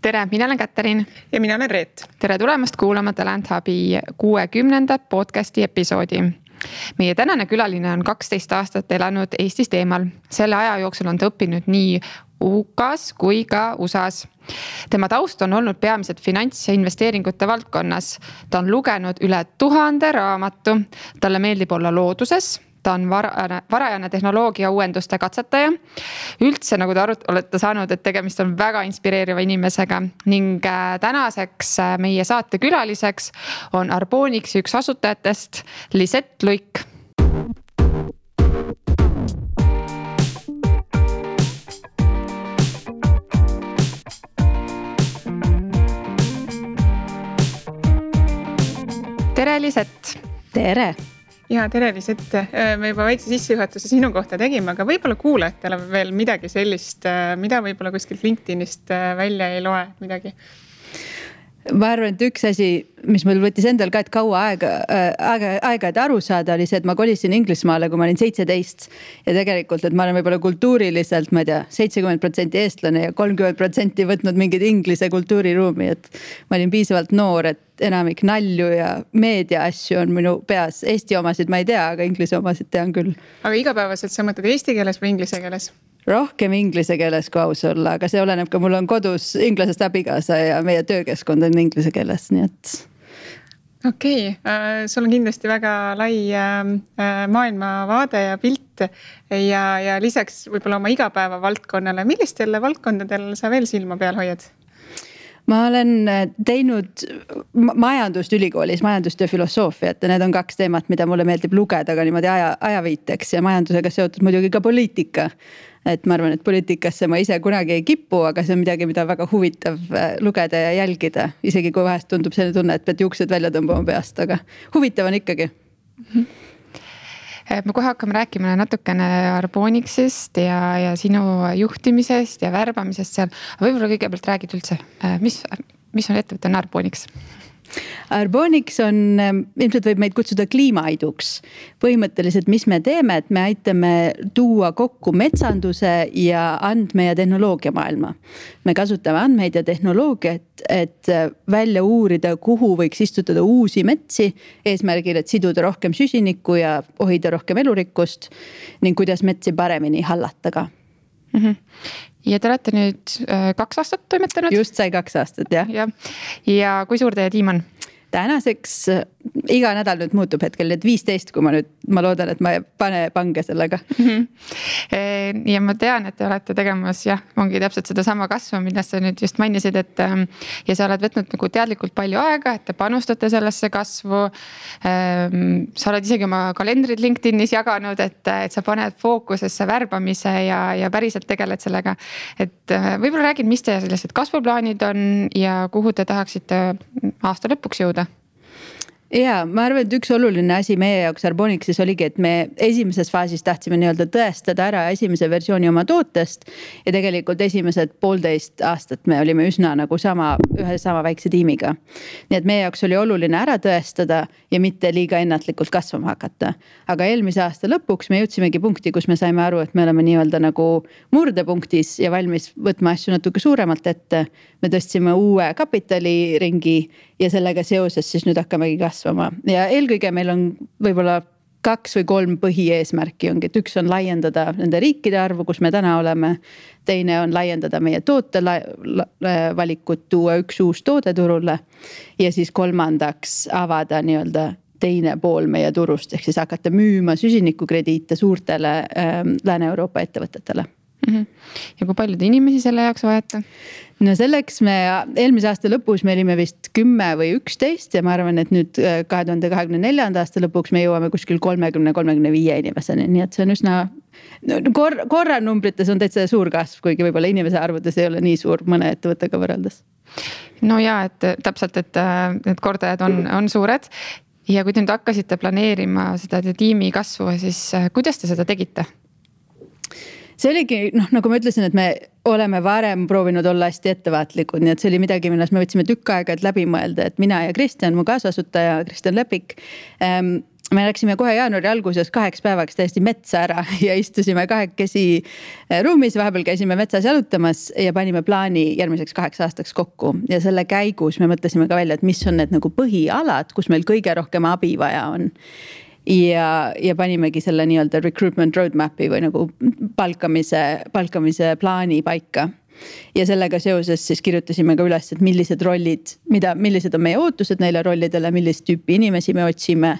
Tere, mina olen Katariin. Ja mina olen Reet. Tere tulemast kuulama Talent Hubi 60. podcasti episoodi. Meie tänane külaline on 12 aastat elanud Eestist eemal. Selle aja jooksul on ta õppinud nii UK-s kui ka USA-s. Tema taust on olnud peamiselt finants- ja investeeringute valdkonnas. Ta on lugenud üle 1000 raamatu. Talle meeldib olla looduses. Ta on varajane tehnoloogia uuenduste katsetaja. Üldse, nagu te olete saanud, et tegemist on väga inspireeriva inimesega ning tänaseks meie saate külaliseks on Arbonixi üks asutajatest Lisette Luik. Tere, Lisette! Tere! Ja tere, Lisette. Me juba väikse sissejuhatuse sinu kohta tegime, aga võib-olla kuulajatele veel midagi sellist, mida võib-olla kuskilt LinkedInist välja ei loe midagi. Ma arvan, et üks asi, mis mul võttis endal ka, et kaua aega et aru saada, oli see, et ma kolisin Inglismaale, kui ma olin 17 ja tegelikult, et ma olen võib-olla kultuuriliselt, ma ei tea, 70% eestlane ja 30% võtnud mingid inglise kultuuriruumi, et ma olin piisavalt noor, et enamik nalju ja meedia asju on minu peas. Eesti omasid ma ei tea, aga inglise omasid tean küll. Aga igapäevaselt sa mõtled eesti keeles või inglise keeles? Rohkem inglise keeles kui aus olla, aga see oleneb ka, mul on kodus inglasest abikaasa ja meie töökeskkond on inglise keeles, nii et. Okei, sul on kindlasti väga lai maailmavaade ja pilt ja lisaks võib-olla oma igapäeva valdkonnale. Millistele valdkondadel sa veel silma peal hoiad? Ma olen teinud majandust ülikoolis, majandust ja filosoofiat ja need on kaks teemat, mida mulle meeldib lugeda ka niimoodi ajaviiteks ja majandusega seotud muidugi ka poliitika. Et ma arvan, et poliitikasse ma ise kunagi ei kipu, aga see on midagi, mida väga huvitav lugeda ja jälgida. Isegi kui vahest tundub selline tunne, et pead juuksed välja tõmbama peast, aga huvitav on ikkagi. Me kohe hakkame rääkima natukene Arbonixist ja sinu juhtimisest ja värbamisest seal. Võib-olla kõigepealt räägid üldse, mis on ettevõte Arbonix? Arbonix on, ilmselt võib meid kutsuda kliimaiduks. Põhimõtteliselt, mis me teeme, et me aitame tuua kokku metsanduse ja andme- ja tehnoloogia maailma. Me kasutame andmeid ja tehnoloogiat, et välja uurida, kuhu võiks istutada uusi metsi, eesmärgil, et siduda rohkem süsinikku ja hoida rohkem elurikkust ning kuidas metsi paremini hallata ka. Ja te olete nüüd 2 aastat toimetanud? Just sai 2 aastat, jah. Ja kui suur teie tiim on? Tänaseks iga nädal nüüd muutub hetkel, et 15, kui ma loodan, et ma ei pane pange sellega. Ja ma tean, et te olete tegemas, ongi täpselt seda sama kasvu, millest sa nüüd just mainisid, et ja sa oled võtnud nagu teadlikult palju aega, et te panustate sellesse kasvu. Sa oled isegi oma kalendrid LinkedInis jaganud, et sa paned fookusesse värbamise ja päriselt tegeled sellega. Et võib-olla räägid, mis teie sellised kasvuplaanid on ja kuhu te tahaksite aasta lõpuks jõuda? Ja ma arvan, et üks oluline asi meie jaoks Arbonixis oligi, et me esimeses faasis tahtsime nii-öelda tõestada ära esimese versiooni oma tootest ja tegelikult esimesed 1,5 aastat me olime üsna nagu ühe sama väikse tiimiga. Nii et meie jaoks oli oluline ära tõestada ja mitte liiga ennatlikult kasvama hakata. Aga eelmise aasta lõpuks me jõudsimegi punkti, kus me saime aru, et me oleme nii-öelda nagu murdepunktis ja valmis võtma asju natuke suuremalt ette. Me tõstsime uue kapitaliringi ja sellega seoses siis nüüd hakkamegi kasvama. Ja eelkõige meil on võib-olla 2 või 3 põhieesmärki ongi, et üks on laiendada nende riikide arvu, kus me täna oleme. Teine on laiendada meie toote valikut, tuua üks uus toode turule ja siis kolmandaks avada nii-öelda teine pool meie turust, ehk siis hakata müüma süsinikukrediite suurtele Lääne-Euroopa ettevõtetele. Ja kui palju te inimesi selle jaoks vajate? No selleks me eelmise aasta lõpus me olime vist 10 või 11 ja ma arvan, et nüüd 2024. aasta lõpuks me jõuame kuskil 30-35 inimeseni. Nii et see on üsna, korra numbrites on täitsa suur kasv, kuigi võib-olla inimese arvudes ei ole nii suur mõne ettevõttega võrreldes. No ja, et täpselt, et need kordajad on suured ja kui te nüüd hakkasite planeerima seda tiimi kasvu, siis kuidas te seda tegite? See oligi, nagu ma ütlesin, et me oleme varem proovinud olla hästi ettevaatlikud, nii et see oli midagi, milles me võtsime tükk aega, et läbi mõelda, et mina ja Kristjan, mu kaasasutaja, Kristjan Lepik, me läksime kohe jaanuari alguses 2 päevaks täiesti metsa ära ja istusime 2 ruumis, vahepeal käisime metsas jalutamas ja panime plaani järgmiseks 8 aastaks kokku. Ja selle käigus me mõtlesime ka välja, et mis on need nagu põhialad, kus meil kõige rohkem abi vaja on. Ja panimegi selle nii-öelda recruitment roadmapi või nagu palkamise plaani paika. Ja sellega seoses siis kirjutasime ka üles, et millised rollid, millised on meie ootused neile rollidele, millist tüüpi inimesi me otsime.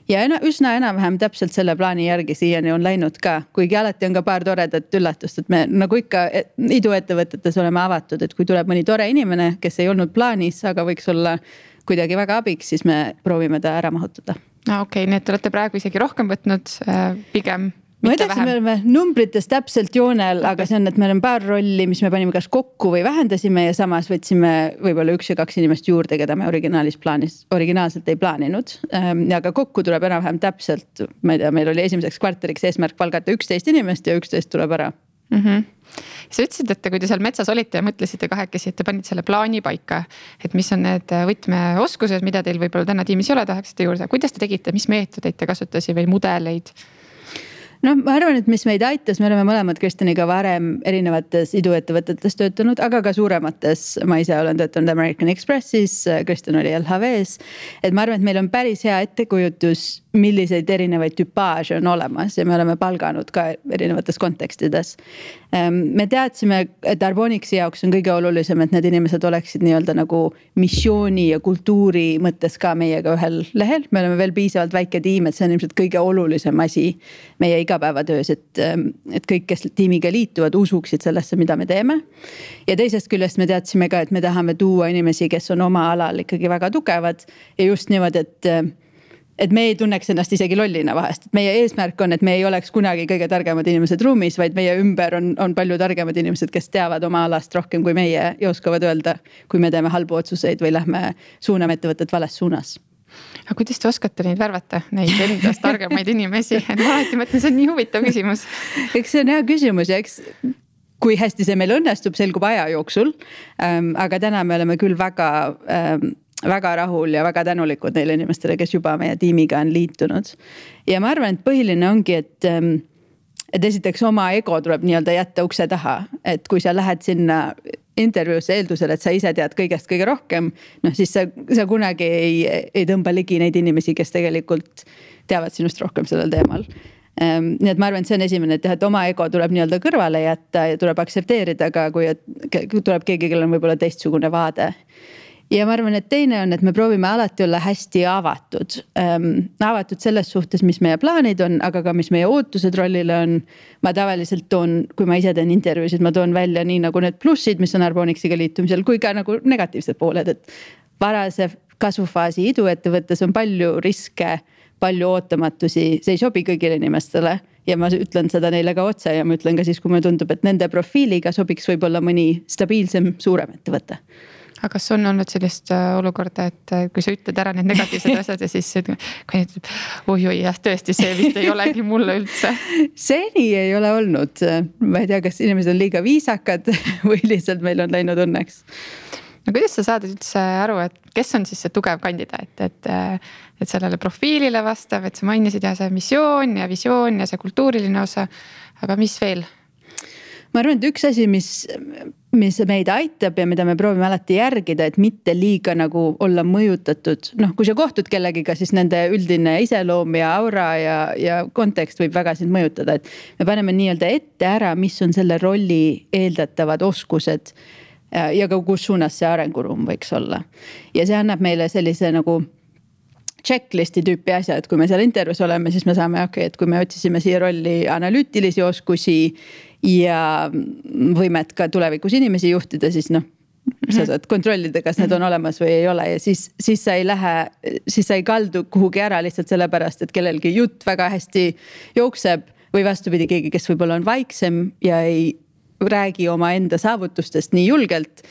Ja üsna enam-vähem täpselt selle plaani järgi siiani on läinud ka, kuigi alati on ka paar toredat üllatust, et me nagu ikka iduettevõtetes oleme avatud, et kui tuleb mõni tore inimene, kes ei olnud plaanis, aga võiks olla kuidagi väga abiks, siis me proovime ta ära mahutada. Okei, nii et te olete praegu isegi rohkem võtnud pigem. Ma edasi me oleme numbrites täpselt joonel, aga see on, et meil on paar rolli, mis me panime kas kokku või vähendasime ja samas võtsime võib-olla 1 ja 2 inimest juurde, keda me originaalselt ei plaaninud. Aga kokku tuleb enam-vähem täpselt, ma ei tea, meil oli esimeseks kvartaliks eesmärk palgata 11 inimest ja 11 tuleb ära. Sa ütlesid, et kui te seal metsas olite ja mõtlesite 2, et te panid selle plaani paika, et mis on need võtmeoskused, mida teil võib-olla täna tiimis ei ole, tahaksite juurde. Kuidas te tegite, mis meetodeid te kasutasite või mudeleid? No ma arvan, et mis meid aitas, me oleme mõlemad Kristjaniga varem erinevates iduettevõtetes töötanud, aga ka suuremates. Ma ise olen töötanud American Expressis, Kristjan oli LHVs. Et ma arvan, et meil on päris hea ettekujutus, milliseid erinevaid tüpaaže on olemas ja me oleme palganud ka erinevates kontekstides. Me teadsime, et Arbonixi jaoks on kõige olulisem, et need inimesed oleksid nii-öelda nagu missiooni ja kultuuri mõttes ka meiega ühel lehel. Me oleme veel piisavalt väike tiim, et see on ilmselt kõige olulisem asi meie igapäevatöös, et kõik, kes tiimiga liituvad, usuksid sellesse, mida me teeme. Ja teisest küljest me teadsime ka, et me tahame tuua inimesi, kes on oma alal ikkagi väga tugevad ja just niimoodi, et me ei tunneks ennast isegi lollina vahest. Et meie eesmärk on, et me ei oleks kunagi kõige targemad inimesed ruumis, vaid meie ümber on palju targemad inimesed, kes teavad oma alast rohkem kui meie ja oskavad öelda, kui me teeme halbu otsuseid või lähme suuname ettevõtet vales suunas. Aga kuidas te oskate neid värvata, neid endast targemaid inimesi? Ma alati mõtlen, see on nii huvitav küsimus. Eks see on hea küsimus ja eks kui hästi see meil õnnestub, selgub aja jooksul. Aga täna me oleme küll väga rahul ja väga tänulikud neile inimestele, kes juba meie tiimiga on liitunud. Ja ma arvan, et põhiline ongi, et esiteks oma ego tuleb nii-öelda jätta ukse taha. Et kui sa lähed sinna intervjuusse eeldusel, et sa ise tead kõigest kõige rohkem, siis sa kunagi ei tõmba ligi neid inimesi, kes tegelikult teavad sinust rohkem sellel teemal. Nii et ma arvan, et see on esimene, et oma ego tuleb nii-öelda kõrvale jätta ja tuleb aksepteerida ka, kui tuleb keegi, kellel on võib-olla teistsugune vaade. Ja ma arvan, et teine on, et me proovime alati olla hästi avatud. Avatud selles suhtes, mis meie plaanid on, aga ka mis meie ootused rollile on. Ma tavaliselt kui ma ise teen intervjuusid, ma toon välja nii nagu need plussid, mis on Arbonixiga liitumisel, kui ka nagu negatiivsed pooled. Et varase kasvufaasi iduettevõttes on palju riske, palju ootamatusi, see ei sobi kõigile inimestele. Ja ma ütlen seda neile ka otse ja ma ütlen ka siis, kui mulle tundub, et nende profiiliga sobiks võib-olla mõni stabiilsem, suurem ettevõte. Aga kas on olnud sellist olukorda, et kui sa ütled ära need negatiivsed asjad ja siis kui ütleb, oi, tõesti, see vist ei olegi mulle üldse. Seni ei ole olnud. Ma ei tea, kas inimesed on liiga viisakad või lihtsalt meil on läinud õnneks. No kuidas sa saad üldse aru, et kes on siis see tugev kandidaat, et sellele profiilile vastav, et sa mainisid ja see missioon ja visioon ja see kultuuriline osa, aga mis veel? Ma arvan, et üks asi, mis meid aitab ja mida me proovime alati järgida, et mitte liiga nagu olla mõjutatud. Kui sa kohtud kellegiga, siis nende üldine iseloom ja aura ja kontekst võib väga sind mõjutada. Et me paneme nii-öelda ette ära, mis on selle rolli eeldatavad oskused ja ka kus suunas see arenguruum võiks olla. Ja see annab meile sellise nagu checklisti tüüpi asja, et kui me seal intervjuus oleme, siis me saame, et kui me otsisime siia rolli analüütilisi oskusi ja võimet ka tulevikus inimesi juhtida, siis sa saad kontrollida, kas need on olemas või ei ole ja siis sa ei kaldu kuhugi ära lihtsalt sellepärast, et kellelgi jutt väga hästi jookseb või vastupidi keegi, kes võib-olla on vaiksem ja ei räägi oma enda saavutustest nii julgelt.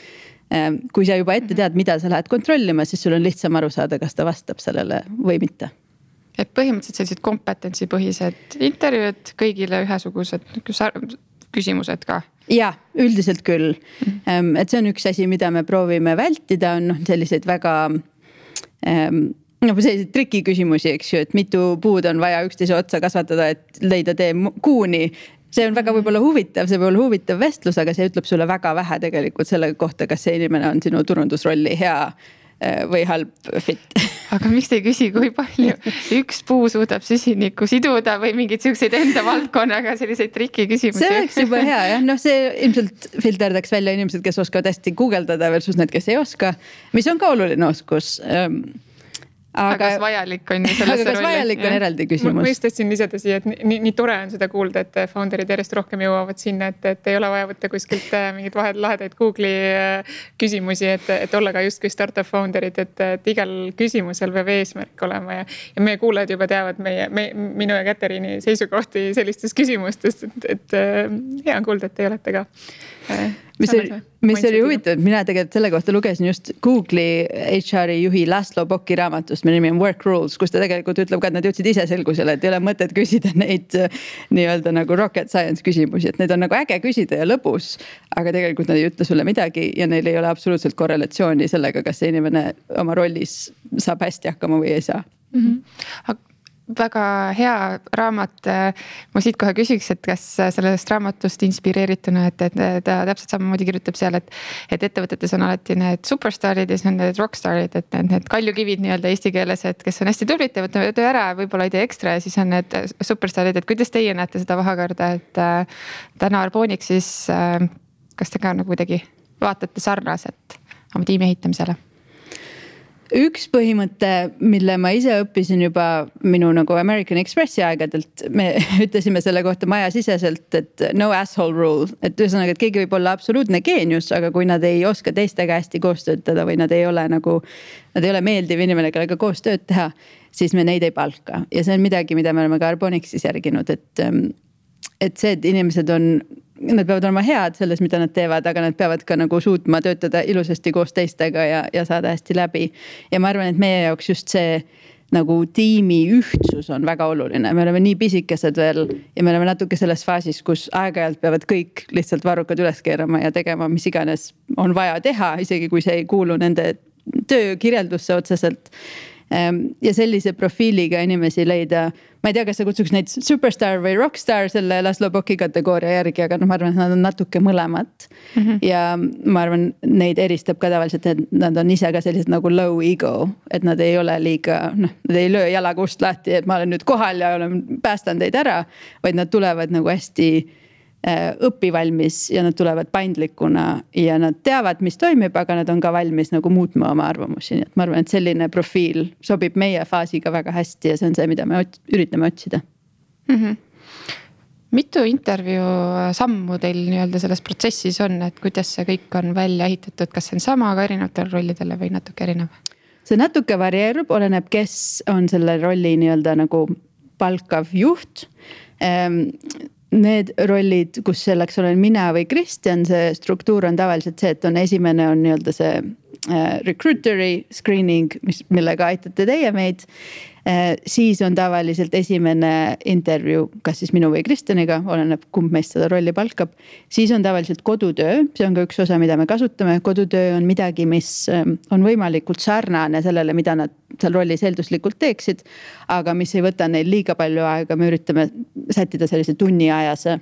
Kui sa juba ette tead, mida sa lähed kontrollima, siis sul on lihtsam aru saada, kas ta vastab sellele või mitte. Et põhimõtteliselt sellised kompetentsipõhised intervjuud, kõigile ühesugused küsimused ka? Ja, üldiselt küll. Et see on üks asi, mida me proovime vältida, on selliseid väga selliseid trikiküsimusi, eks ju, et mitu puud on vaja üksteise otsa kasvatada, et leida tee kuuni. See on väga võib-olla huvitav, see võib olla huvitav vestlus, aga see ütleb sulle väga vähe tegelikult selle kohta, kas see inimene on sinu turundusrolli hea või halb fit. Aga miks te ei küsi, kui palju üks puu suudab süsinikku siduda või mingeid siukseid enda valdkonnaga selliseid trikiküsimusi? See oleks juba hea jah, see ilmselt filterdaks välja inimesed, kes oskavad hästi guugeldada versus need, kes ei oska, mis on ka oluline oskus. Aga kas vajalik on ju sellesse rolli? Kas vajalik on eraldi küsimus? Ma just tahtsin lisada siia, et nii tore on seda kuulda, et founderid järjest rohkem jõuavad sinna, et ei ole vaja võtta kuskilt mingid lahedaid Google'i küsimusi, et olla ka justkui startup founderid, et igal küsimusel peab eesmärk olema ja meie kuulajad juba teavad minu ja Katariini seisukohti sellistes küsimustes, et hea on kuulda, et te olete ka. Mis oli huvitav, mina tegelikult selle kohta lugesin just Google'i HR-i juhi Laszlo Boki raamatust, mille nimi on Work Rules, kus ta tegelikult ütleb ka, et nad jõudsid ise selgusele, et ei ole mõtet küsida neid nii-öelda nagu rocket science küsimusi, et need on nagu äge küsida ja lõbus, aga tegelikult nad ei ütle sulle midagi ja neil ei ole absoluutselt korrelatsiooni sellega, kas see inimene oma rollis saab hästi hakkama või ei saa. Väga hea raamat. Ma siit kohe küsiks, et kas sellest raamatust inspireerituna, et ta täpselt samamoodi kirjutab seal, et ettevõtetes on alati need superstarid ja siis on need rockstarid, et need kaljukivid nii-öelda eesti keeles, et kes on hästi tublid, teevad töö ära, võib-olla ei tee ekstra ja siis on need superstarid, et kuidas teie näete seda vahekorda, et täna Arbonic siis, kas te ka nagu kuidagi vaatate sarnaselt oma tiimi ehitamisele? Üks põhimõte, mille ma ise õppisin juba minu nagu American Expressi aegadelt, me ütlesime selle kohta majasiseselt, et no asshole rule, et ühesõnaga, et keegi võib olla absoluutne geenius, aga kui nad ei oska teistega hästi koos töötada või nad ei ole meeldiv inimene, kellega koos tööd teha, siis me neid ei palka. Ja see on midagi, mida me oleme ka Arbonicsis järginud, et see, et inimesed nad peavad olema head selles, mida nad teevad, aga nad peavad ka nagu suutma töötada ilusasti koos teistega ja saada hästi läbi. Ja ma arvan, et meie jaoks just see nagu tiimi ühtsus on väga oluline. Me oleme nii pisikesed veel ja me oleme natuke selles faasis, kus aeg-ajalt peavad kõik lihtsalt varrukad üles keerama ja tegema, mis iganes on vaja teha, isegi kui see ei kuulu nende töökirjeldusse otseselt. Ja sellise profiiliga inimesi leida, ma ei tea, kas sa kutsuks neid superstar või rockstar selle Laszlo Boki kategooria järgi, aga ma arvan, et nad on natuke mõlemat. Ja ma arvan, neid eristab ka tavaliselt, et nad on ise ka sellised nagu low ego, et nad ei ole liiga, nad ei löö jalaga ust lahti, et ma olen nüüd kohal ja päästan teid ära, vaid nad tulevad nagu hästi õpivalmis ja nad tulevad paindlikuna ja nad teavad, mis toimib, aga nad on ka valmis nagu muutma oma arvamusi. Nii et ma arvan, et selline profiil sobib meie faasiga väga hästi ja see on see, mida me üritame otsida. Mitu intervjuu sammu teil nii-öelda selles protsessis on, et kuidas see kõik on välja ehitatud, kas see on sama ka erinevatele rollidele või natuke erinev? See natuke varieerub, oleneb, kes on selle rolli nii-öelda nagu palkav juht. Need rollid, kus selleks olen mina või Kristjan, see struktuur on tavaliselt see, et esimene on nii-öelda see recruiteri screening, millega aitate teie meid. Siis on tavaliselt esimene intervjuu, kas siis minu või Kristjaniga, oleneb kumb meist seda rolli palkab. Siis on tavaliselt kodutöö, see on ka üks osa, mida me kasutame. Kodutöö on midagi, mis on võimalikult sarnane sellele, mida nad seal rollis eelduslikult teeksid, aga mis ei võta neil liiga palju aega, me üritame sättida sellise tunniajase,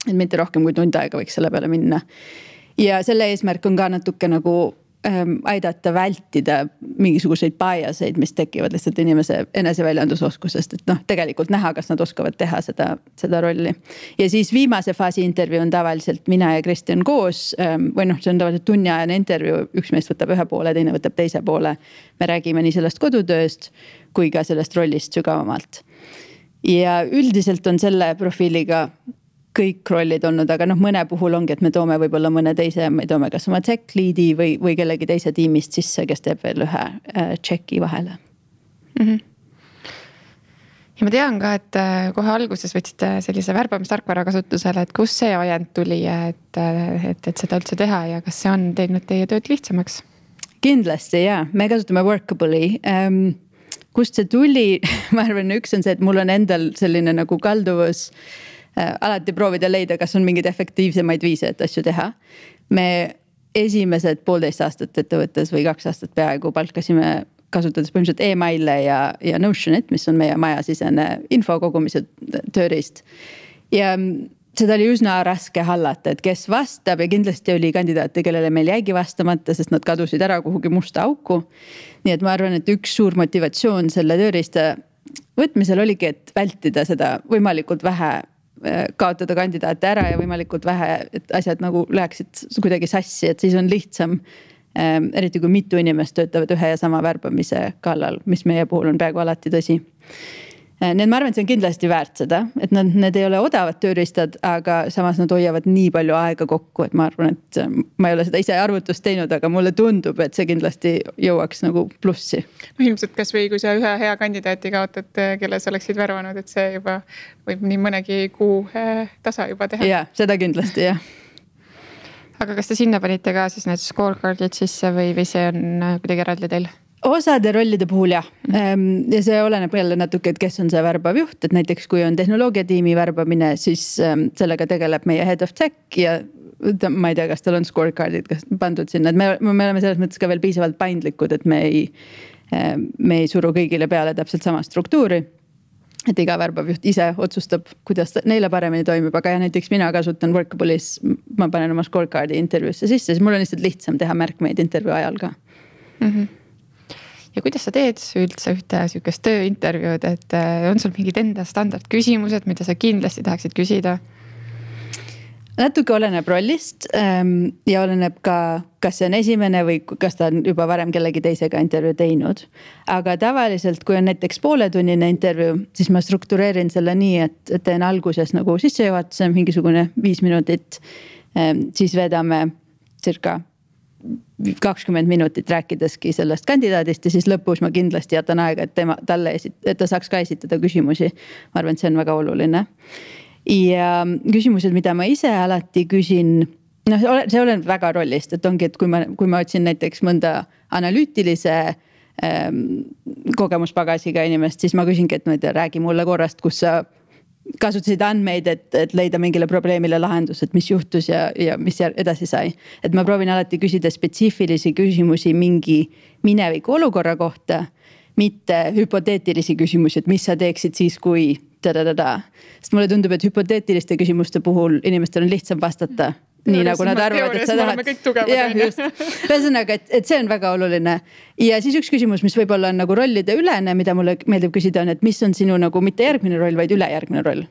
et mitte rohkem kui tund aega võiks selle peale minna. Ja selle eesmärk on ka natuke nagu aidata vältida mingisuguseid biaseid, mis tekivad lihtsalt inimese eneseväljendusoskusest, et tegelikult näha, kas nad oskavad teha seda rolli. Ja siis viimase faasi intervjuu on tavaliselt mina ja Kristjan koos või see on tavaliselt tunniajane intervjuu, üks meest võtab ühe poole, teine võtab teise poole. Me räägime nii sellest kodutööst kui ka sellest rollist sügavamalt. Ja üldiselt on selle profiiliga kõik rollid olnud, aga mõne puhul ongi, et me toome võib-olla mõne teise, me toome kas oma tech lead'i või kellegi teise tiimist sisse, kes teeb veel ühe checki vahele. Ja ma tean ka, et kohe alguses võtsite sellise värbamistarkvara kasutusele, et kus see ajend tuli, et seda üldse teha ja kas see on teinud teie tööd lihtsamaks? Kindlasti jaa, me kasutame Workable'i. Kust see tuli? Ma arvan, üks on see, et mul on endal selline nagu kalduvus alati proovida leida, kas on mingeid efektiivsemaid viise, et asju teha. Me esimesed 1,5 aastat ettevõttes või 2 aastat peaaegu palkasime kasutades põhimõtteliselt email'e ja Notionit, mis on meie majasisene info kogumise tööriist. Ja seda oli üsna raske hallata, et kes vastab ja kindlasti oli kandidaate, kellele meil jäigi vastamata, sest nad kadusid ära kuhugi musta auku. Nii et ma arvan, et üks suur motivatsioon selle tööriista võtmisel oligi, et vältida seda võimalikult vähe, kaotada kandidaate ära ja võimalikult vähe, et asjad nagu läheksid kuidagi sassi, et siis on lihtsam, eriti kui mitu inimest töötavad ühe ja sama värbamise kallal, mis meie puhul on peaaegu alati tõsi. Nii et ma arvan, et see on kindlasti väärt seda, et need ei ole odavad tööriistad, aga samas nad hoiavad nii palju aega kokku, et ma arvan, et ma ei ole seda ise arvutust teinud, aga mulle tundub, et see kindlasti jõuaks nagu plussi. No ilmselt kas või kui sa ühe hea kandidaati kaotad, kelle sa oleksid värvanud, et see juba võib nii mõnegi kuu tasa juba teha. Jaa, seda kindlasti jah. Aga kas te sinna panite ka siis need scorecardid sisse või see on kuidagi eraldi teil? Osade rollide puhul jah. Ja see oleneb jälle natuke, et kes on see värbav juht, et näiteks kui on tehnoloogiatiimi värbamine, siis sellega tegeleb meie head of tech ja ma ei tea, kas tal on scorecardid pandud sinna, et me oleme selles mõttes ka veel piisavalt paindlikud, et me ei suru kõigile peale täpselt sama struktuuri. Et iga värbav juht ise otsustab, kuidas neile paremini toimib, aga ja näiteks mina kasutan Workable'is, ma panen oma scorecardi intervjuusse sisse, siis mul on lihtsalt lihtsam teha märkmeid intervjuu ajal ka. Ja kuidas sa teed üldse ühte sihukest tööintervjuud, et on sul mingid enda standardküsimused, mida sa kindlasti tahaksid küsida? Natuke oleneb rollist ja oleneb ka, kas see on esimene või kas ta on juba varem kellegi teisega intervjuu teinud. Aga tavaliselt, kui on näiteks pooletunnine intervjuu, siis ma struktureerin selle nii, et teen alguses nagu sissejuhatuse mingisugune 5 minutit, siis vedame circa 20 minutit rääkideski sellest kandidaadist ja siis lõpus ma kindlasti jätan aega, et ta saaks ka esitada küsimusi. Ma arvan, et see on väga oluline. Ja küsimused, mida ma ise alati küsin, see oleneb väga rollist, et ongi, et kui ma otsin näiteks mõnda analüütilise kogemuspagasiga inimest, siis ma küsingi, et räägi mulle korrast, kus sa kasutasid andmeid, et leida mingile probleemile lahendus, et mis juhtus ja mis edasi sai. Et ma proovin alati küsida spetsiifilisi küsimusi mingi mineviku olukorra kohta, mitte hüpoteetilisi küsimusi, et mis sa teeksid siis, kui Sest mulle tundub, et hüpoteetiliste küsimuste puhul inimestel on lihtsam vastata. Nii nagu nad arvavad, et sa tahad. Jah, just. Ühesõnaga, et see on väga oluline. Ja siis üks küsimus, mis võib-olla on nagu rollide ülene, mida mulle meeldib küsida on, et mis on sinu nagu mitte järgmine roll, vaid ülejärgmine roll.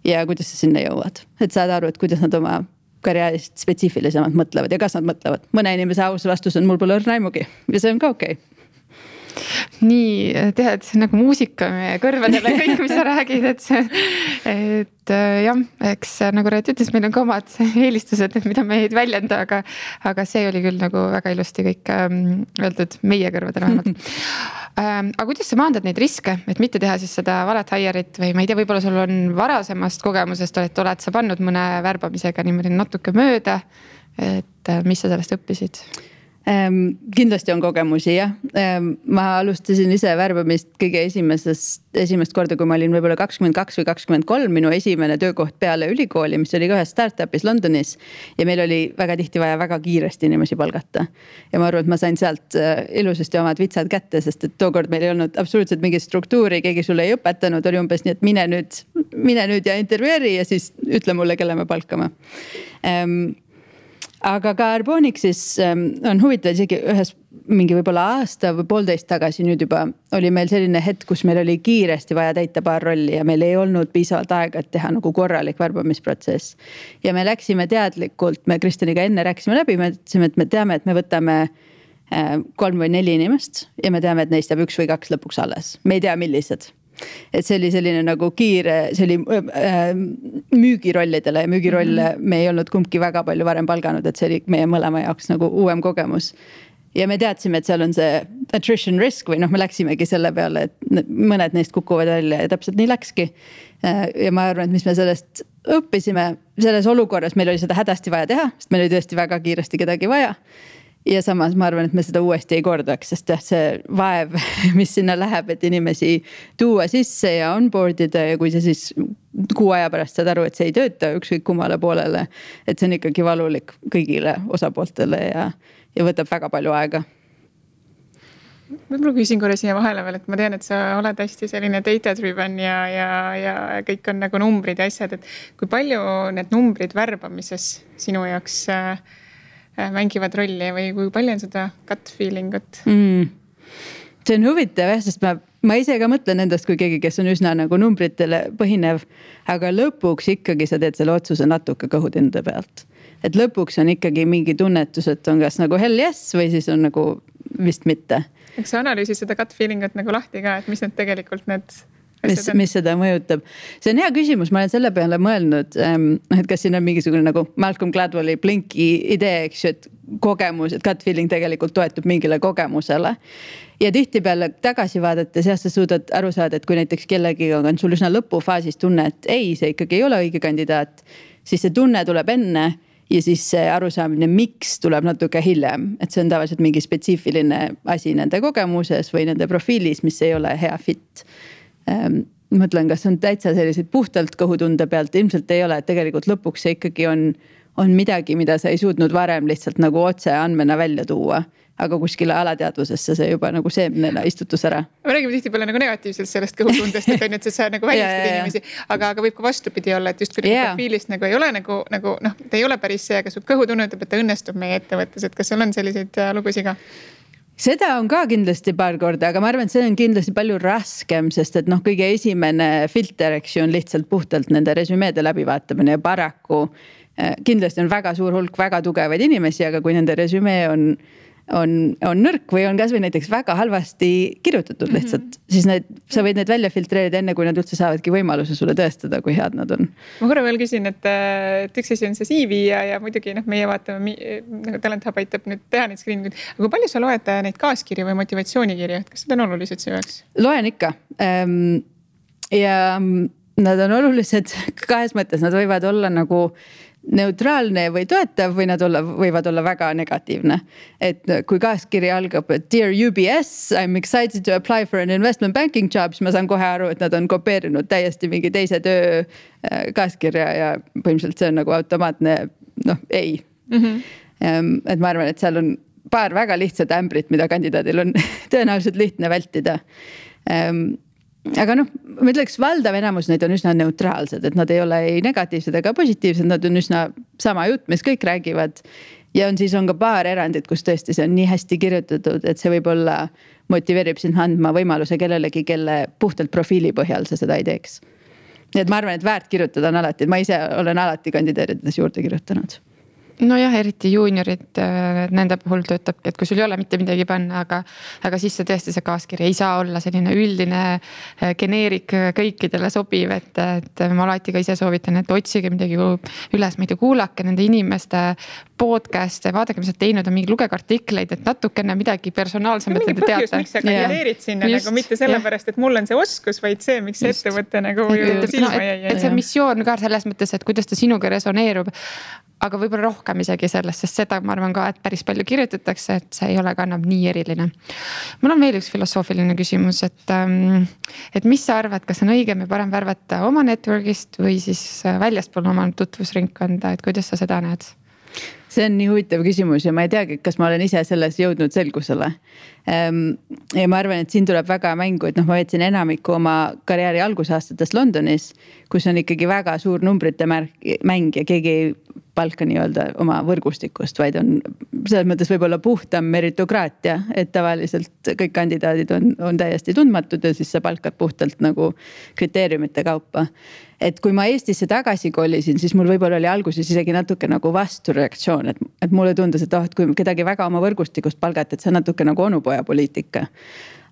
Ja kuidas sa sinna jõuad. Et saad aru, et kuidas nad oma karjäärist spetsiifilisemalt mõtlevad ja kas nad mõtlevad. Mõne inimese aus vastus on mul pole õrna aimugi ja see on ka okei. Nii, tead, nagu muusika meie kõrvadele kõik, mis sa räägid, et jah, eks nagu Reet ütles, meil on ka omad eelistused, mida me ei väljenda, aga see oli küll nagu väga ilusti kõik öeldud meie kõrvadele vähemalt. Aga kuidas sa maandad neid riske, et mitte teha siis seda valet hire'it või ma ei tea, võib-olla sul on varasemast kogemusest, oled sa pannud mõne värbamisega niimoodi natuke mööda, et mis sa sellest õppisid? Kindlasti on kogemusi, jah. Ma alustasin ise värbamist kõige esimest korda, kui ma olin võib-olla 22 või 23, minu esimene töökoht peale ülikooli, mis oli ka ühes startupis Londonis. Ja meil oli väga tihti vaja väga kiiresti inimesi palgata. Ja ma arvan, et ma sain sealt ilusasti omad vitsad kätte, sest et tookord meil ei olnud absoluutselt mingit struktuuri, keegi sulle ei õpetanud, oli umbes nii, et mine nüüd ja intervjueeri ja siis ütle mulle, kelle me palkame. Aga ka Arbonixis on huvitav, isegi ühes mingi võib-olla aasta või 1,5 tagasi nüüd juba oli meil selline hetk, kus meil oli kiiresti vaja täita paar rolli ja meil ei olnud piisavalt aega, et teha nagu korralik värbamisprotsess. Ja me läksime teadlikult, me Kristjaniga enne rääkisime läbi, me ütlesime, et me teame, et me võtame 3 või 4 inimest ja me teame, et neist jääb 1 või 2 lõpuks alles. Me ei tea, millised. Et see oli selline nagu kiire, see oli müügirollidele ja müügirolle me ei olnud kumbki väga palju varem palganud, et see oli meie mõlema jaoks nagu uuem kogemus. Ja me teadsime, et seal on see attrition risk või me läksimegi selle peale, et mõned neist kukuvad välja ja täpselt nii läkski. Ja ma arvan, et mis me sellest õppisime, selles olukorras meil oli seda hädasti vaja teha, sest meil oli tõesti väga kiiresti kedagi vaja. Ja samas ma arvan, et me seda uuesti ei kordaks, sest see vaev, mis sinna läheb, et inimesi tuua sisse ja onboardida ja kui see siis 6 aja pärast saad aru, et see ei tööta ükskõik kummale poolele, et see on ikkagi valulik kõigile osapooltele ja võtab väga palju aega. võib-olla küsin korra siia vahele veel, et ma tean, et sa oled hästi selline data driven ja kõik on nagu numbrid ja asjad, et kui palju need numbrid värbamises sinu jaoks mängivad rolli või kui palju on seda gut feeling ut? See on huvitav jah, sest ma ise ka mõtlen endast kui keegi, kes on üsna nagu numbritele põhinev, aga lõpuks ikkagi sa teed selle otsuse natuke kõhutinde pealt. Et lõpuks on ikkagi mingi tunnetus, et on kas nagu hell yes või siis on nagu vist mitte. Eks sa analüüsid seda gut feeling ut nagu lahti ka, et mis need tegelikult need mis seda mõjutab. See on hea küsimus, ma olen selle peale mõelnud, et kas siin on mingisugune nagu Malcolm Gladwelli Blinki idee, eks ju, et kogemus, et gut feeling tegelikult toetub mingile kogemusele. Ja tihtipeale tagasi vaadates jah, sa suudad aru saada, et kui näiteks kellegi on sul üsna lõpufaasis tunne, et ei, see ikkagi ei ole õige kandidaat, siis see tunne tuleb enne ja siis see arusaamine, miks tuleb natuke hiljem. Et see on tavaliselt mingi spetsiifiline asi nende kogemuses või nende profiilis, mis ei ole hea fit. Mõtlen, kas on täitsa selliseid puhtalt kõhutunde pealt, ilmselt ei ole, et tegelikult lõpuks see ikkagi on midagi, mida sa ei suutnud varem lihtsalt nagu otse andmena välja tuua. Aga kuskile alateadvusesse see juba nagu seemnena istutus ära. Me räägime tihtipeale nagu negatiivselt sellest kõhutundest, et sa nagu väljastad inimesi, aga võib ka vastupidi olla, et just kui profiilist nagu ei ole nagu ta ei ole päris see, aga su kõhutunne ütleb, et ta õnnestub meie ettevõttes, et kas sul on selliseid lugusid ka? Seda on ka kindlasti paar korda, aga ma arvan, et see on kindlasti palju raskem, sest et kõige esimene filter, eks ju, on lihtsalt puhtalt nende resümeede läbivaatamine ja paraku kindlasti on väga suur hulk väga tugevaid inimesi, aga kui nende resümee on nõrk või on kasvõi näiteks väga halvasti kirjutatud lihtsalt, siis sa võid need välja filtreerida enne, kui nad üldse saavadki võimaluse sulle tõestada, kui head nad on. Ma korra veel küsin, et üks asi on see CV ja muidugi meie vaatame, nagu Talent Hub aitab nüüd teha neid screening'id, aga kui palju sa loed neid kaaskirju või motivatsioonikirju, et kas need on olulised see jaoks? Loen ikka. Ja nad on olulised kahes mõttes, nad võivad olla nagu neutraalne või toetav või nad võivad olla väga negatiivne. Et kui kaaskiri algab, et Dear UBS, I'm excited to apply for an investment banking job, siis ma saan kohe aru, et nad on kopeerinud täiesti mingi teise töö kaaskirja ja põhimõtteliselt see on nagu automaatne, ei. Et ma arvan, et seal on paar väga lihtsat ämbrit, mida kandidaadil on tõenäoliselt lihtne vältida. Aga ma ütleks, valdav enamus neid on üsna neutraalsed, et nad ei ole ei negatiivsed ega positiivsed, nad on üsna sama jutt, mis kõik räägivad. Ja siis on ka paar erandit, kus tõesti see on nii hästi kirjutatud, et see võib-olla motiveerib sind andma võimaluse kellelegi, kelle puhtalt profiili põhjal sa seda ei teeks. Nii et ma arvan, et väärt kirjutada on alati, ma ise olen alati kandideerides juurde kirjutanud. Nojah, eriti juuniorid, nende puhul töötab, et kui sul ei ole mitte midagi panna, aga siis see tõesti see kaaskiri ei saa olla selline üldine geneerik kõikidele sobiv, et ma alati ka ise soovitan, et otsige midagi üles, ma ei tea, kuulake nende inimeste podcast'e, vaadake, mis nad teinud on, mingi lugege artikleid, et natukene midagi personaalsemat te teate. Põhjus, miks sa kandideerid sinna, nagu mitte sellepärast, et mul on see oskus, vaid see, miks see ettevõte nagu silma jäi. Et see missioon ka selles mõttes, et kuidas ta sinuga resoneerub, aga võib-olla rohkem isegi sellest, sest seda ma arvan ka, et päris palju kirjutatakse, et see ei ole ka enam nii eriline. Mul on veel üks filosoofiline küsimus, et mis sa arvad, kas on õigem ja parem värvata oma network'ist või siis väljaspool oma tutvusringkonda, et kuidas sa seda näed? See on nii huvitav küsimus ja ma ei teagi, kas ma olen ise selles jõudnud selgusele. Ja ma arvan, et siin tuleb väga mängu, et ma veetsin enamiku oma karjääri algusaastatest Londonis, kus on ikkagi väga suur numbrite mäng ja keegi ei palka nii-öelda oma võrgustikust, vaid on selles mõttes võib-olla puhtam meritokraatia, et tavaliselt kõik kandidaadid on täiesti tundmatud ja siis sa palkad puhtalt nagu kriteeriumite kaupa. Et kui ma Eestisse tagasi kolisin, siis mul võib-olla oli alguses isegi natuke nagu vastureaktsioon, et mulle tundus, et kui kedagi väga oma võrgustikust palgata, et see on natuke nagu onupoja poliitika.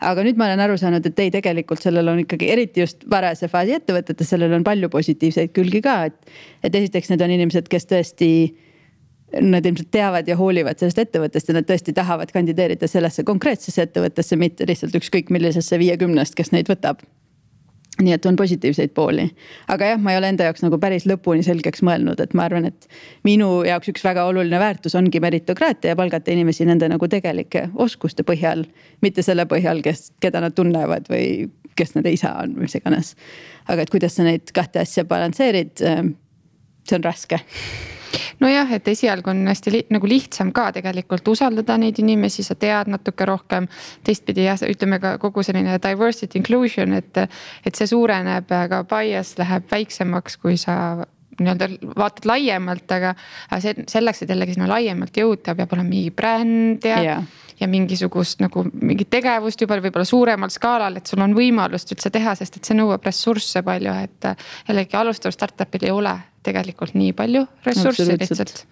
Aga nüüd ma olen aru saanud, et ei, tegelikult sellel on ikkagi eriti just varase faasi ettevõtetes, sellel on palju positiivseid külgi ka, et esiteks need on inimesed, kes tõesti, nad ilmselt teavad ja hoolivad sellest ettevõttest ja nad tõesti tahavad kandideerida sellesse konkreetsesse ettevõttesse, mitte lihtsalt ükskõik millisesse 50, kes neid võtab. Nii et on positiivseid pooli. Aga jah, ma ei ole enda jaoks nagu päris lõpuni selgeks mõelnud, et ma arvan, et minu jaoks üks väga oluline väärtus ongi meritokraatia ja palgata inimesi nende nagu tegelike oskuste põhjal, mitte selle põhjal, keda nad tunnevad või kes nende isa on või mis iganes. Aga et kuidas sa neid kahte asja balansseerid, see on raske. nojah, et esialgu on hästi nagu lihtsam ka tegelikult usaldada neid inimesi, sa tead natuke rohkem. Teistpidi jah, ütleme ka kogu selline diversity inclusion, et see suureneb, aga bias läheb väiksemaks, kui sa nii-öelda vaatad laiemalt, aga selleks, et jällegi sinna laiemalt jõuda, peab olema mingi bränd ja mingisugust nagu mingit tegevust juba võib-olla suuremal skaalal, et sul on võimalust üldse teha, sest et see nõuab ressursse palju, et jällegi alustav startupil ei ole tegelikult nii palju ressurssi lihtsalt.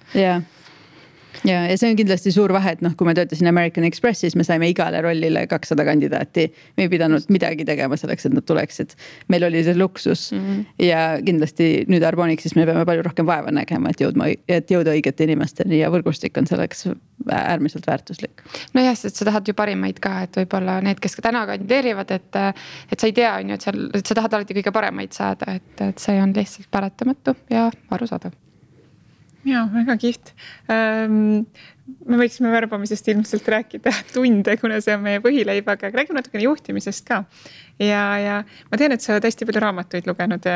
Ja see on kindlasti suur vahe, et kui ma töötasin American Expressis, me saime igale rollile 200 kandidaati. Me ei pidanud midagi tegema selleks, et nad tuleksid. Meil oli see luksus ja kindlasti nüüd Arbonixis me peame palju rohkem vaeva nägema, et jõuda õigete inimesteni ja võrgustik on selleks äärmiselt väärtuslik. No jah, sest sa tahad ju parimaid ka, et võib-olla need, kes ka täna kandideerivad, et sa ei tea, et sa tahad alati kõige paremaid saada, et see on lihtsalt paratamatu ja arusaadav. Jaa, väga kihvt. Me võiksime värbamisest ilmselt rääkida tunde, kuna see on meie põhileib, aga räägime natukene juhtimisest ka. Ja ma tean, et sa oled hästi palju raamatuid lugenud.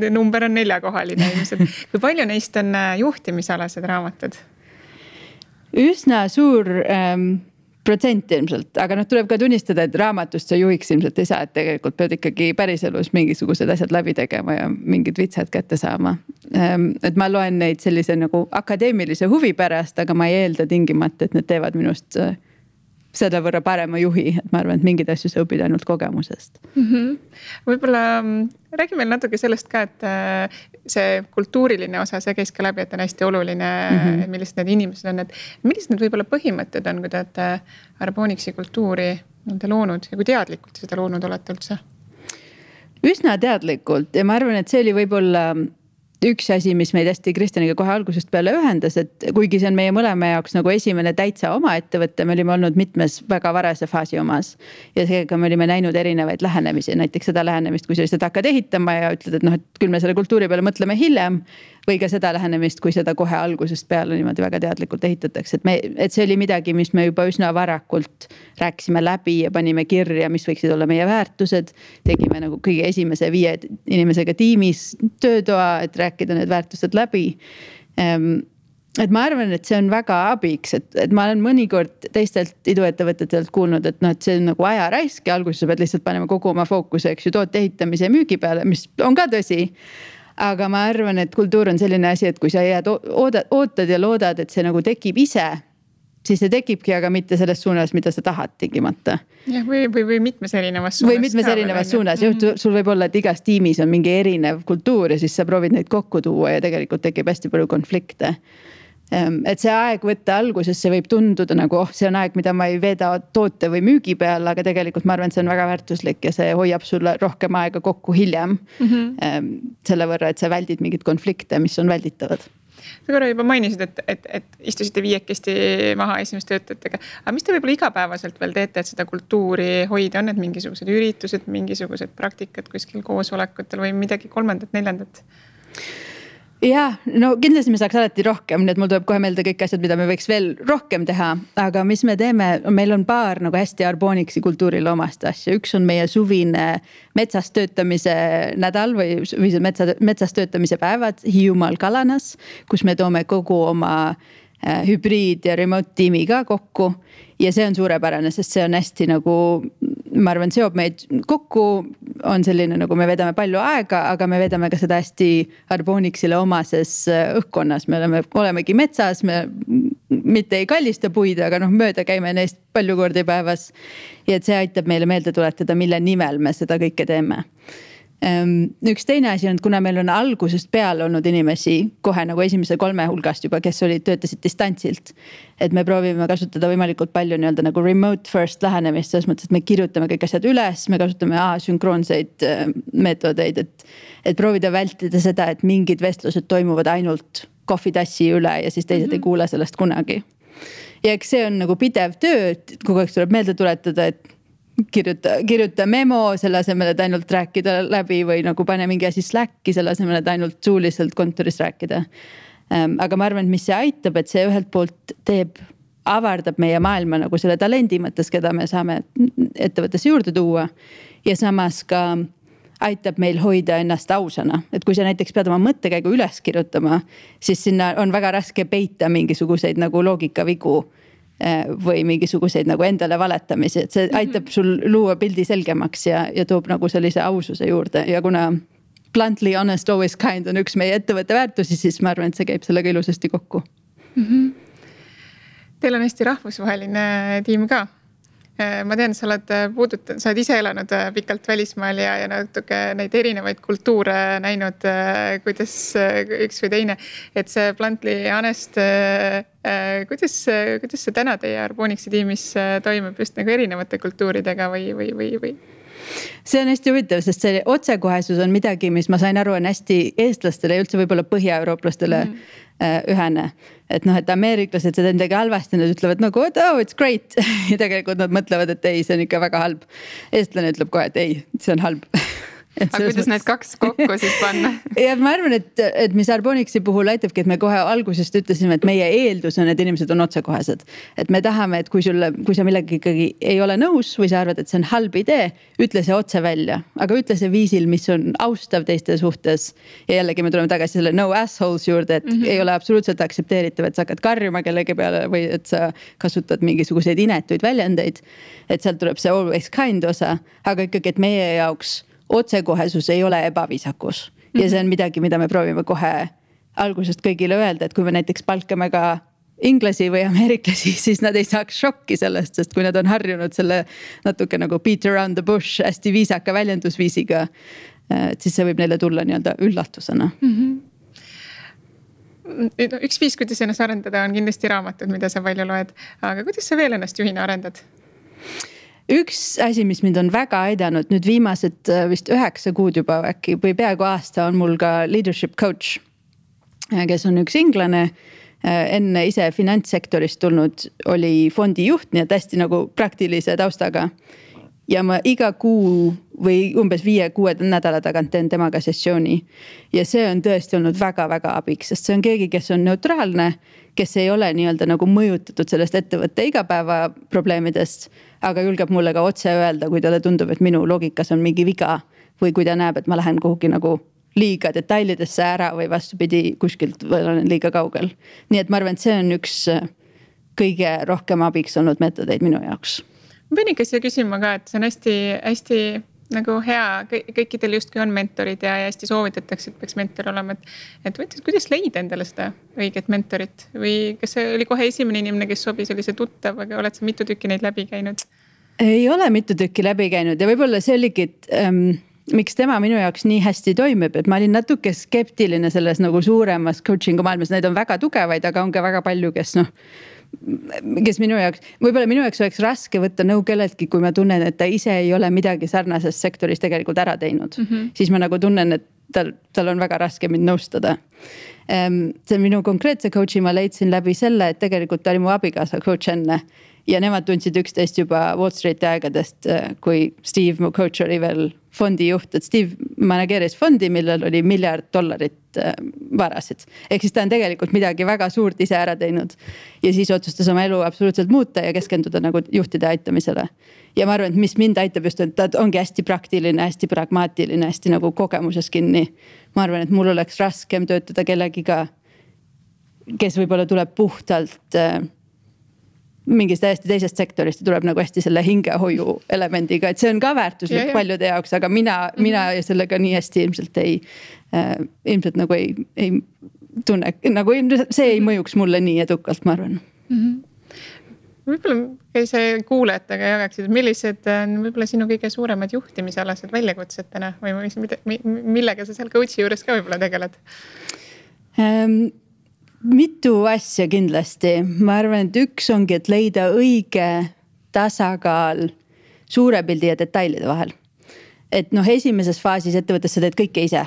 Number on 4-kohaline ilmselt. Kui palju neist on juhtimisalased raamatud? Üsna suur protsent ilmselt, aga tuleb ka tunnistada, et raamatust sa juhiks ilmselt ei saa, et tegelikult pead ikkagi päriselus mingisugused asjad läbi tegema ja mingid vitsad kätte saama. Et ma loen neid sellise nagu akadeemilise huvi pärast, aga ma ei eelda tingimata, et need teevad minust selle võrra parema juhi, et ma arvan, et mingid asju sa õpid ainult kogemusest. Võib-olla räägime natuke sellest ka, et see kultuuriline osa, see käis ka läbi, et on hästi oluline, millised need inimesed on, et millised need võib-olla põhimõtted on, kui te olete Arbonixi kultuuri loonud ja kui teadlikult seda loonud olete üldse? Üsna teadlikult ja ma arvan, et see oli võib-olla üks asi, mis meid hästi Kristjaniga kohe algusest peale ühendas, et kuigi see on meie mõlema jaoks nagu esimene täitsa oma ettevõtte, me olime olnud mitmes väga varase faasi omas ja seega me olime näinud erinevaid lähenemisi, näiteks seda lähenemist, kui sa lihtsalt hakkad ehitama ja ütled, et et küll me selle kultuuri peale mõtleme hiljem või ka seda lähenemist, kui seda kohe algusest peale niimoodi väga teadlikult ehitatakse, et see oli midagi, mis me juba üsna varakult rääkisime läbi ja panime kirja, mis võiksid olla meie väärtused, tegime nagu kõige esimese 5 inimesega tiimis töötoa, et rääkida need väärtused läbi. Et ma arvan, et see on väga abiks, et ma olen mõnikord teistelt iduettevõtetelt kuulnud, et see on nagu aja raisk ja alguses sa pead lihtsalt panema kogu oma fookuse, toote ehitamise ja müügi peale, mis on ka tõsi. Aga ma arvan, et kultuur on selline asi, et kui sa jääd, ootad ja loodad, et see nagu tekib ise, siis see tekibki, aga mitte selles suunas, mida sa tahad tingimata. Ja, või mitmes erinevas suunas. Või mitmes erinevas suunas. Sul võib olla, et igas tiimis on mingi erinev kultuur ja siis sa proovid neid kokku tuua ja tegelikult tekib hästi palju konflikte. Et see aeg võtta alguses, see võib tunduda nagu, see on aeg, mida ma ei veeda toote või müügi peal, aga tegelikult ma arvan, et see on väga väärtuslik ja see hoiab sulle rohkem aega kokku hiljem. Selle võrra, et sa väldid mingid konflikte, mis on välditavad. Sa korra juba mainisid, et istusite 5 maha esimest töötajatega. Aga mis te võib-olla igapäevaselt veel teete, et seda kultuuri hoida? On need mingisugused üritused, mingisugused praktikad kuskil koosolekutel või midagi 3., 4? Ja, no kindlasti me saaks alati rohkem, nii et mul tuleb kohe meelde kõik asjad, mida me võiks veel rohkem teha, aga mis me teeme, meil on paar nagu hästi Arbonixi kultuurile omast asja. Üks on meie suvine metsas töötamise nädal või metsas töötamise päevad Hiiumaal Kalanas, kus me toome kogu oma hübriid ja remote tiimiga kokku ja see on suurepärane, sest see on hästi nagu, ma arvan, seob meid kokku, on selline nagu me vedame palju aega, aga me vedame ka seda hästi Arbonixile omases õhkkonnas. Me olemegi metsas, me mitte ei kallista puid, aga mööda käime neist palju kordi päevas ja et see aitab meile meelde tuletada, mille nimel me seda kõike teeme. Üks teine asi on, et kuna meil on algusest peale olnud inimesi kohe nagu esimese 3 hulgast juba, kes töötasid distantsilt, et me proovime kasutada võimalikult palju nii-öelda nagu remote first lähenemist, selles mõttes, et me kirjutame kõik asjad üles, me kasutame sünkroonseid meetodeid, et proovida vältida seda, et mingid vestlused toimuvad ainult kohvitassi üle ja siis teised ei kuule sellest kunagi. Ja eks see on nagu pidev töö, et kogu aeg tuleb meelde tuletada, et kirjuta memo selle asemel, et ainult rääkida läbi või nagu pane mingi asi Slacki selle asemel, et ainult suuliselt kontoris rääkida. Aga ma arvan, et mis see aitab, et see ühelt poolt avardab meie maailma nagu selle talendi mõttes, keda me saame ettevõttesse juurde tuua ja samas ka aitab meil hoida ennast ausana, et kui sa näiteks pead oma mõttekäigu üles kirjutama, siis sinna on väga raske peita mingisuguseid nagu loogikavigu või mingisuguseid nagu endale valetamisi, et see aitab sul luua pildi selgemaks ja toob nagu sellise aususe juurde ja kuna bluntly honest always kind on üks meie ettevõtte väärtusi, siis ma arvan, et see käib sellega ilusasti kokku. Teil on hästi rahvusvaheline tiim ka. Ma tean, sa oled ise elanud pikalt välismaal ja natuke neid erinevaid kultuure näinud, kuidas üks või teine, et see bluntly honest, kuidas see täna teie Arbonixi tiimis toimub just nagu erinevate kultuuridega või? See on hästi huvitav, sest see otsekohesus on midagi, mis ma sain aru, on hästi eestlastele ja üldse võib-olla põhja-eurooplastele ühene. Et et ameeriklased seda endagi halvasti, nad ütlevad nagu, oh it's great. Ja tegelikult nad mõtlevad, et ei, see on ikka väga halb. Eestlane ütleb kohe, et ei, see on halb. Aga kuidas need kaks kokku siis panna? Ja ma arvan, et mis Arbonixi puhul aitabki, et me kohe algusest ütlesime, et meie eeldus on, et inimesed on otsekohesed. Et me tahame, et kui sa millega ikkagi ei ole nõus või sa arvad, et see on halb idee, ütle see otse välja. Aga ütle see viisil, mis on austav teiste suhtes. Ja jällegi me tuleme tagasi selle no assholes juurde, et ei ole absoluutselt aktsepteeritav, et sa hakkad karjuma kellegi peale või et sa kasutad mingisuguseid inetuid väljendeid. Et sealt tuleb see always kind osa, aga ikkagi, et meie jaoks otsekohesus ei ole ebaviisakus ja see on midagi, mida me proovime kohe algusest kõigile öelda, et kui me näiteks palkame ka inglasi või ameeriklasi, siis nad ei saaks šokki sellest, sest kui nad on harjunud selle natuke nagu beat around the bush hästi viisaka väljendusviisiga, siis see võib neile tulla nii-öelda üllatusena. Üks viis, kuidas ennast arendada, on kindlasti raamatud, mida sa palju loed, aga kuidas sa veel ennast juhina arendad? Üks asi, mis mind on väga aidanud nüüd viimased vist 9 kuud juba äkki või peaaegu aasta on mul ka leadership coach, kes on üks inglane, enne ise finantssektorist tulnud, oli fondi juht, nii et hästi nagu praktilise taustaga. Ja ma iga kuu või umbes 5-6 nädala tagant teen temaga sessiooni. Ja see on tõesti olnud väga-väga abiks, sest see on keegi, kes on neutraalne, kes ei ole nii-öelda nagu mõjutatud sellest ettevõtte igapäeva probleemidest, aga julgeb mulle ka otse öelda, kui talle tundub, et minu loogikas on mingi viga või kui ta näeb, et ma lähen kuhugi nagu liiga detailidesse ära või vastupidi kuskilt või olen liiga kaugel. Nii et ma arvan, et see on üks kõige rohkem abiks olnud meetodeid minu jaoks. Ma pean ikka siia küsima ka, et see on hästi nagu hea, kõikidel justkui on mentorid ja hästi soovitatakse, et peaks mentor olema, et kuidas leida endale seda õiget mentorit või kas see oli kohe esimene inimene, kes sobis, oli see tuttav, aga oled sa mitu tükki neid läbi käinud? Ei ole mitu tükki läbi käinud ja võib-olla see oligi, et miks tema minu jaoks nii hästi toimib, et ma olin natuke skeptiline selles nagu suuremas coaching'u maailmas, need on väga tugevaid, aga on ka väga palju, kes minu jaoks, võib-olla minu jaoks oleks raske võtta nõu kelleltki, kui ma tunnen, et ta ise ei ole midagi sarnases sektoris tegelikult ära teinud. Siis ma nagu tunnen, et tal on väga raske mind nõustada. See minu konkreetse coach'i ma leidsin läbi selle, et tegelikult ta oli mu abikaasa coach enne. Ja nemad tundsid üksteist juba Wall Streeti aegadest, kui Steve, mu coach, oli veel fondi juht, et Steve manageeris fondi, millel oli $1 miljard varasid. Ehk siis ta on tegelikult midagi väga suurt ise ära teinud. Ja siis otsustas oma elu absoluutselt muuta ja keskenduda nagu juhtide aitamisele. Ja ma arvan, et mis mind aitab just, et ta ongi hästi praktiline, hästi pragmaatiline, hästi nagu kogemuses kinni. Ma arvan, et mul oleks raskem töötada kellegiga, kes võib-olla tuleb puhtalt mingist täiesti teisest sektorist ja tuleb nagu hästi selle hingehoiu elemendiga, et see on ka väärtuslik paljude jaoks, aga mina sellega nii hästi ilmselt nagu ei tunne, nagu see ei mõjuks mulle nii edukalt, ma arvan. Võib-olla see kuulajatega jagaksid, millised on võib-olla sinu kõige suuremad juhtimisalased väljakutsed täna või millega sa seal coach'i juures ka võib-olla tegeled? Mitu asja kindlasti. Ma arvan, et üks ongi, et leida õige tasakaal suure pildi ja detailide vahel. Et esimeses faasis ettevõttes sa teed kõike ise.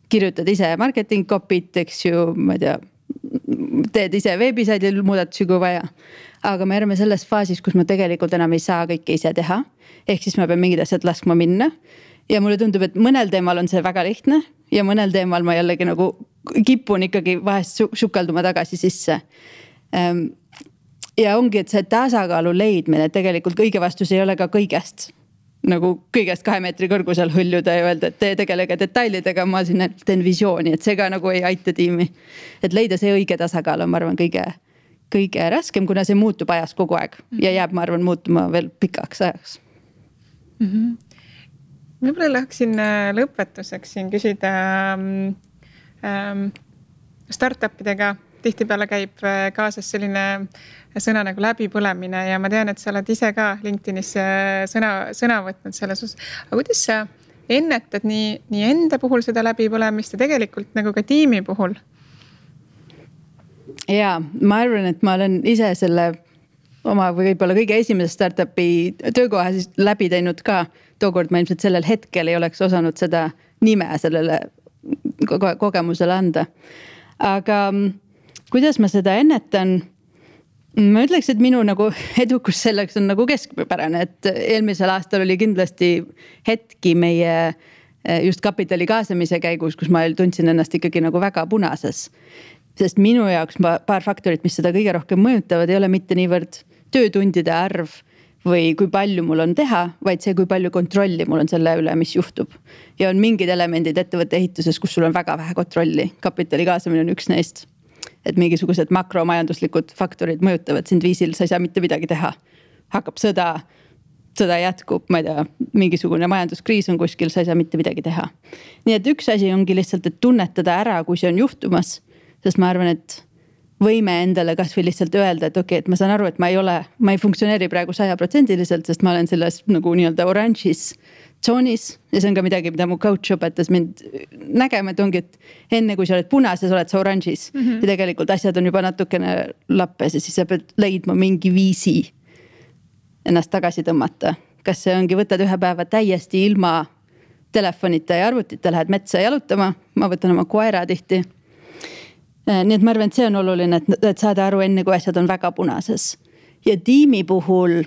Kirjutad ise marketing copy't, eks ju, ma ei tea, teed ise veebisaidil muudatusi kui vaja. Aga me oleme selles faasis, kus ma tegelikult enam ei saa kõike ise teha. Ehk siis ma pean mingid asjad laskma minna. Ja mulle tundub, et mõnel teemal on see väga lihtne ja mõnel teemal ma jällegi nagu kipun ikkagi vahest sukalduma tagasi sisse. Ja ongi, et see tasakaalu leidmine, tegelikult kõige vastus ei ole ka kõigest nagu kõigest 2 meetri kõrgusel hõljuda ja öelda, et te tegelege detailidega, ma siin teen visiooni, et see ka nagu ei aita tiimi. Et leida see õige tasakaal on, ma arvan, kõige raskem, kuna see muutub ajas kogu aeg ja jääb, ma arvan, muutuma veel pikaks ajaks. Võib-olla läheksin lõpetuseks siin küsida startupidega. Tihtipeale käib kaasas selline sõna nagu läbipõlemine ja ma tean, et sa oled ise ka LinkedInis sõna võtnud selles osas. Aga kuidas sa ennetad nii enda puhul seda läbipõlemist ja tegelikult nagu ka tiimi puhul? Jaa, ma arvan, et ma olen ise selle oma võib-olla kõige esimese startupi töökoha siis läbi teinud ka. Tookord ma ilmselt sellel hetkel ei oleks osanud seda nime sellele kogemusele anda. Aga kuidas ma seda ennetan? Ma ütleks, et minu nagu edukus selleks on nagu keskpärane, et eelmisel aastal oli kindlasti hetki meie just kapitali kaasamise käigus, kus ma tundsin ennast ikkagi nagu väga punases. Sest minu jaoks paar faktorit, mis seda kõige rohkem mõjutavad, ei ole mitte niivõrd töötundide arv või kui palju mul on teha, vaid see, kui palju kontrolli mul on selle üle, mis juhtub. Ja on mingid elemendid ettevõtte ehituses, kus sul on väga vähe kontrolli. Kapitali kaasamine on üks neist. Et mingisugused makromajanduslikud faktorid mõjutavad sind viisil, sa ei saa mitte midagi teha. Hakkab sõda jätkub, ma ei tea, mingisugune majanduskriis on kuskil, sa ei saa mitte midagi teha. Nii et üks asi ongi lihtsalt, et tunnetada ära, kui see on juhtumas. Sest ma arvan, et võime endale kas või lihtsalt öelda, et okei, et ma saan aru, et ma ei funktsioneeri praegu 100%, sest ma olen selles nagu nii-öelda oranžis tsoonis ja see on ka midagi, mida mu coach õpetas mind nägema, et ongi, et enne kui sa oled punases, oled sa oranžis ja tegelikult asjad on juba natukene lappes ja siis sa pead leidma mingi viisi ennast tagasi tõmmata. Kas see ongi, võtad ühe päeva täiesti ilma telefonita ja arvutita, lähed metsa jalutama, ma võtan oma koera tihti. Nii et ma arvan, et see on oluline, et saada aru enne, kui asjad on väga punases. Ja tiimi puhul,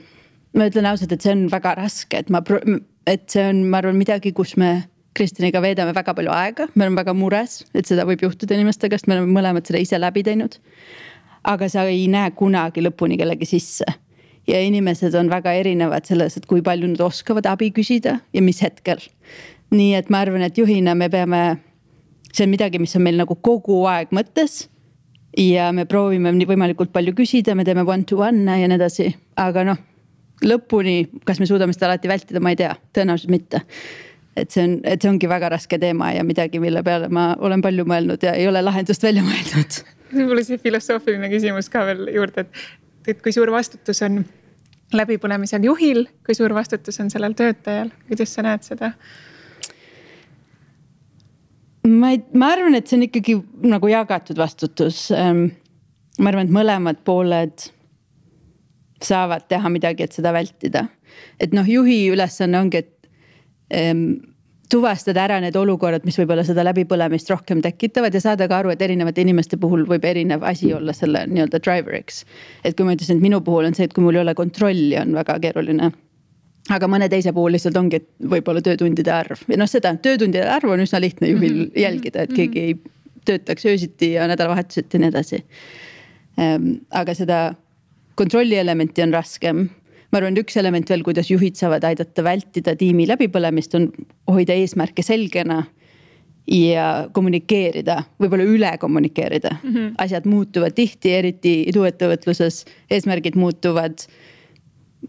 ma ütlen ausalt, et see on väga raske, et see on, ma arvan, midagi, kus me Kristiniga veedame väga palju aega. Me oleme väga mures, et seda võib juhtuda inimestega, sest me oleme mõlemad seda ise läbi teinud. Aga sa ei näe kunagi lõpuni kellegi sisse. Ja inimesed on väga erinevad selles, et kui palju nad oskavad abi küsida ja mis hetkel. Nii et ma arvan, et juhina me peame... See on midagi, mis on meil nagu kogu aeg mõttes ja me proovime võimalikult palju küsida, me teeme one-to-one ja nii edasi. Aga lõpuni, kas me suudame seda alati vältida, ma ei tea, tõenäoliselt mitte. Et see ongi väga raske teema ja midagi, mille peale ma olen palju mõelnud ja ei ole lahendust välja mõeldud. Mul see filosoofiline küsimus ka veel juurde, et kui suur vastutus on läbipõlemisel juhil, kui suur vastutus on sellel töötajal, kuidas sa näed seda? Ma arvan, et see on ikkagi nagu jagatud vastutus. Ma arvan, et mõlemad pooled saavad teha midagi, et seda vältida. Et juhi ülesanne ongi, et tuvastada ära need olukorrad, mis võib-olla seda läbipõlemist rohkem tekitavad ja saada ka aru, et erinevate inimeste puhul võib erinev asi olla selle nii-öelda driveriks. Et kui ma ütlesin, et minu puhul on see, et kui mul ei ole kontrolli, on väga keeruline. Aga mõne teise puhul lihtsalt ongi, et võib-olla töötundide arv. Ja seda töötundide arv on üsna lihtne juhil jälgida, et keegi ei töötaks öösiti ja nädalavahetuselt ja nii edasi. Aga seda kontrolli elementi on raskem. Ma arvan, üks element veel, kuidas juhid saavad aidata vältida tiimi läbipõlemist, on hoida eesmärke selgena ja kommunikeerida, võib-olla üle kommunikeerida. Asjad muutuvad tihti, eriti iduettevõtluses, eesmärgid muutuvad,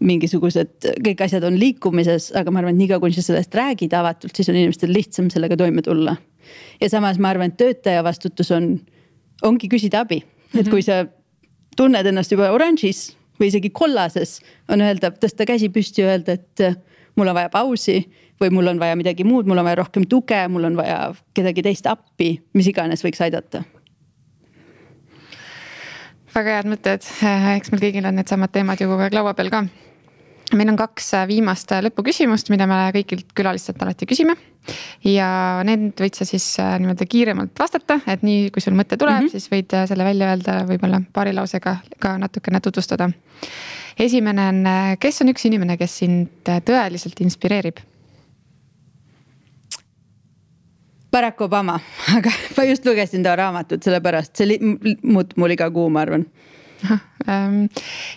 mingisugused, kõik asjad on liikumises, aga ma arvan, et niikaua kui sa sellest räägid avatult, siis on inimestel lihtsam sellega toime tulla. Ja samas ma arvan, et töötaja vastutus ongi küsida abi. Et kui sa tunned ennast juba oranžis või isegi kollases, on öelda, tõsta käsi püsti ja öelda, et mul on vaja pausi või mul on vaja midagi muud, mul on vaja rohkem tuge, mul on vaja kedagi teist appi, mis iganes võiks aidata. Väga head mõtted, eks meil kõigil on need samad teemad ju kogu aeg laua peal ka. Meil on 2 viimast lõpuküsimust, mida me kõigilt külalistelt alati küsime. Ja need võid sa siis niimoodi kiiremalt vastata, et nii kui sul mõte tuleb, siis võid selle välja öelda võib-olla paari lausega ka natukene tutvustada. Esimene on, kes on üks inimene, kes sind tõeliselt inspireerib? Barack Obama, aga ma just lugesin ta raamatut, sellepärast see muut mul iga kuu, ma arvan.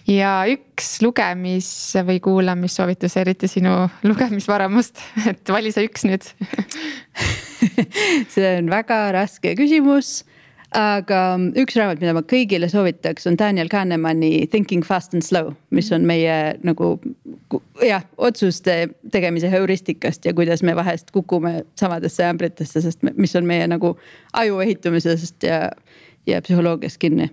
ja üks lugemis- või kuulamissoovitus, eriti sinu lugemisvaramust, et vali sa üks nüüd. See on väga raske küsimus, aga üks raamat, mida ma kõigile soovitaks, on Daniel Kahnemani Thinking Fast and Slow, mis on meie nagu otsuste tegemise heuristikast ja kuidas me vahest kukume samadesse ämbritesse, sest mis on meie nagu aju ehitumisest ja psühholoogiast kinni.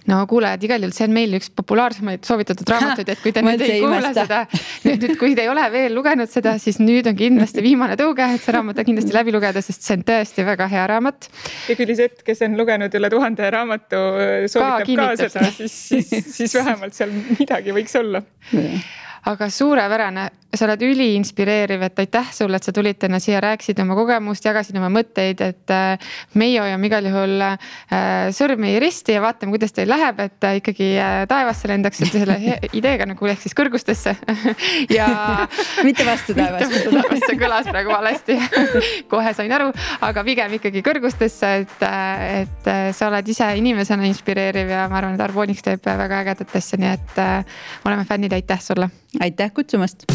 No kuulajad, igal juhul see on meil üks populaarsemaid soovitatud raamatuid, et kui te nüüd ei kuule seda, nüüd kui te ei ole veel lugenud seda, siis nüüd on kindlasti viimane tõuge, et see raamat on kindlasti läbi lugeda, sest see on tõesti väga hea raamat. Ja küll Isett, kes on lugenud üle 1000 raamatu, soovitab ka seda, siis vähemalt seal midagi võiks olla. Aga suurepärane, sa oled üli inspireeriv, et aitäh sulle, et sa tulid täna siia, rääkisid oma kogemust, jagasid oma mõtteid, et meie hoiame igal juhul sõrmi risti ja vaatame, kuidas teil läheb, et ikkagi taevasse lendaksite selle ideega nagu ehk siis kõrgustesse. Ja mitte vastu taevasse. See kõlas praegu valesti. Kohe sain aru, aga pigem ikkagi kõrgustesse, et sa oled ise inimesena inspireeriv ja ma arvan, et Arbonix teeb väga ägedat asja, nii et oleme fännid, aitäh sulle. Aitäh kutsumast.